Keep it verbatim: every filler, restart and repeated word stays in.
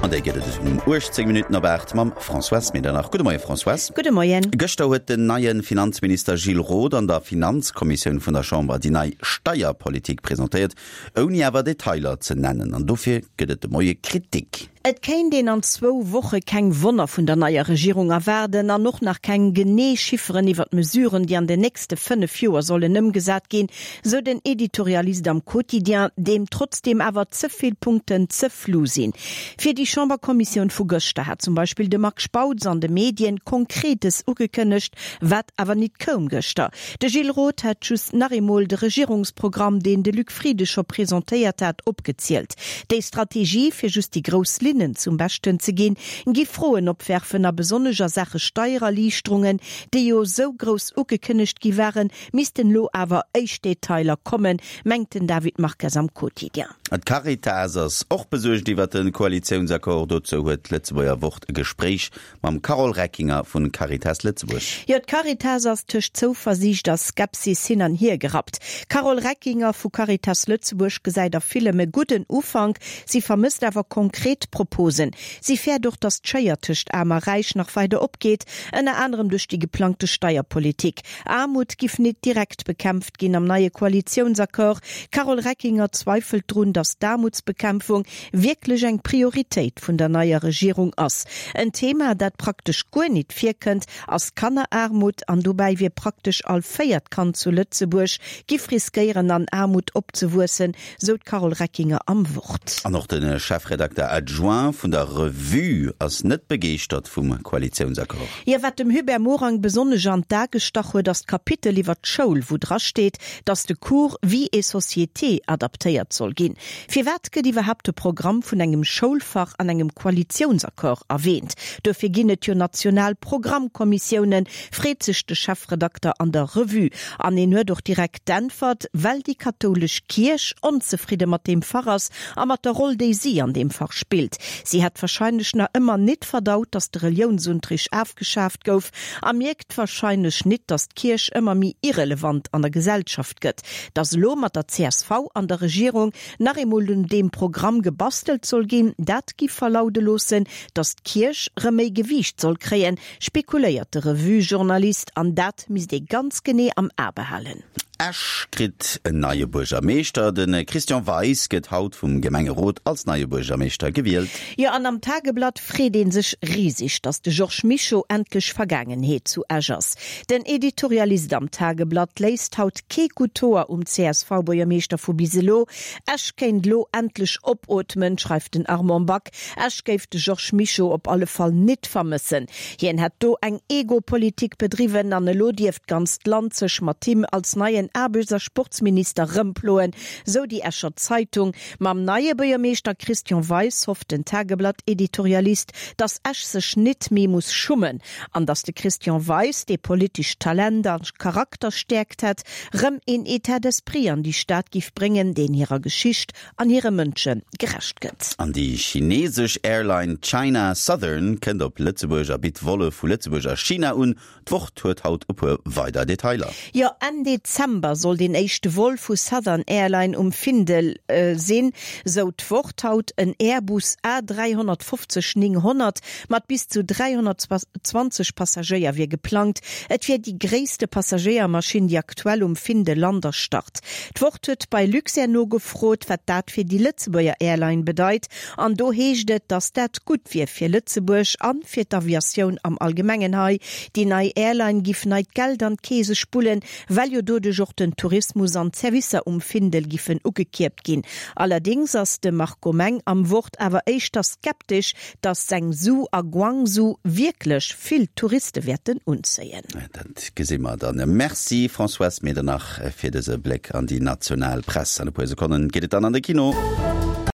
An déi gëtt et um uechtzéng Minutten op aacht mam Françoise Medernach. Gudde Moie Françoise. Gudde Moien. Gëschter huet den neie Finanzminister Gilles Roth an der Finanzkommissioun vun der Chamber déi nei Steierpolitik presentéiert, ouni awer Detailer ze nennen. An dofir gëtt et de Moie Kritik. Et kéint een an zwou Woche keng Wonner vun der neier Regierung erwaarden an och nach keng genee Chifferen iwwer d'Mesuren, déi an den nächste fënnef Joer sollen ëmgesat ginn, sou den Editorialist am Quotidien, deem trotzdeem awer ze vill Punkten ze flou sinn. Fir déi Chamberkommissioun vu gëschter hat zum Beispill de Marc Spautz an de Medien Konkretes ugekënnegt, wat awer nit koum gëschter. De Gilles Roth hätt just nach eemol de Regierungsprogramm, deen de Luc Frieden scho presentéiert hat, opgezielt. Déi Strategie, fir just déi grouss Linnen zum Beschten ze ginn, gi Froen opwerfen a besonnesch a Saache Steiererliichterungen, déi jo sou grouss ugekënnegt gi waren, missten elo awer éischt Detailer kommen, mengt den David Marques am Quotidien. D'Caritas ass och besuergt iwwer de Koalitiounsaccord. Dozou huet d'Lëtzebuerger Wort e Gespréich mam Carole Reckinger vu Caritas Lëtzebuerg. Jo, d'Caritas ass tëscht Zouversiicht a Skepsis hin an hier gerappt. D'Carole Reckinger vu Caritas Lëtzebuerg gesäit a villem e gudden Ufank, si vermësst awer konkret Proposen. Si fäert och, datt d'Schéier tëscht Aarm a Räich nach weider opgeet, ënner anerem duerch déi geplangte Steierpolitik. Aarmut giff nit direkt bekämpft ginn am neie Koalitiounsaccord. D'Carole Reckinger zweifelt drun, datt d'Aarmutsbekämpfung wierklech eng Prioritéit vun der neier Regierung ass. En Thema, dat praktesch guer nit virkënnt, ass Kanneraarmut an dobäi wier praktesch all véiert Kand zu Lëtzebuerg giff riskéieren an Aarmut opzewuessen, sou d'Carole Reckinger am Wort. An och de Chefredakter adjoint vun der Revue ass net begeeschtert vum Koalitiounsaccord. Jo, wat dem Hubert Morang besonnesch an d'A gestach huet, ass d'Kapitel iwwer d'Schoul, wou dra steet, datt de Cours Vie et société adaptéiert soll ginn. Firwat gëtt iwwerhaapt de Programm vun engem Schoulfach an engem Koalitiounsaccord erwäänt? Duerfir ginn et jo national Programmkommissiounen, freet sech de Chefredakter an der Revue. An en huet och direkt d'Äntwert, Well déi kathoulesch Kierch onzefridde mat deem Fach ass a mat der Roll, déi si an deem Fach spillt. Si hätt warscheinlech nach ëmmer nit verdaut, datt de Reliounsunterricht afgeschaaft gouf a mierkt warscheinlech nit, datt d'Kierch ëmmer méi irrelevant an der Gesellschaft gëtt. Datt elo mat der csv an der Regierung nach eemol un deem Programm gebastelt soll ginn, dat giff verlaude loossen, datt d'Kierch rëm méi Gewiicht soll kréien, spekuléiert de Revue-Journalist, an dat misst ee ganz genee am A behalen. Esch kritt en neie Buergermeeschter. De Christian Weis gëtt haut vum Gemengerot als neie Buergermeeschter gewielt. Jo, an am Tageblatt freet ee sech riseg, datt de Georges Mischo endlech Vergaangenheet zu Esch ass. Den Editorialist am Tageblatt léisst haut kee gutt Hoer um C S V-Buergermeeschter vu bis elo. Esch kéint elo endlech opootmen, schreift den Armand Back. Esch géif de Georges Mischo op alle Fall nit vermëssen. Hien hätt do eng Ego-Politik bedriwwen an elo dierft d'ganzt Land sech mat him als neien Aarbechts a Sportsminister rëmploen, sou déi Escher Zeitung. Mam neie Buergermeeschter Christian Weis hofft den Tageblatt-Editorialist, datt Esch sech nit méi muss schummen an datt de Christian Weis, dee politescht Talent a Charakterstäerkt hätt, rëm een État d'esprit an déi Stad giff bréngen, deen hirer Geschicht an hire Mënsche gerecht gëtt. An déi chinesesch Airline China Southern kënnt op Lëtzebuerg a bitt Volle vu Lëtzebuerg a China un. D'Wort huet haut e puer weider Detailer. Jo, Enn Dezember soll deen éischte Vol vu Southern Airline um Findel sinn, sou d'Wort haut. En Airbus A dräihonnertfofzeg nénghonnert mat bis zu dräihonnertzwanzeg Passagéier wier geplangt. Et wier déi gréisste Passagéiermaschinn, déi aktuell um Findel lant a start. D'Wort huet bei Luxair nogefrot, wat dat fir déi Lëtzebuerger Airline bedeit, an do heescht et, datt dat gutt wier fir Lëtzebuerg an fir d'Aviatioun am Allgemengen hei. Déi nei Airline giff neit Geld an d'Keese spullen, well jo doduerch och den Tourismus an d'Servicer um Findel giffen ugekierpt ginn. Allerdéngs ass de Marco Meng am Wort awer éischter skeptesch, datt Zhengzhou a Guangzhou wierklech vill Touriste wäerten unzéien. Dat gesi mer dann. Merci Françoise Medernach fir dëse Bléck an déi national Press. An e puer Sekonnen geet et dann an de Kino.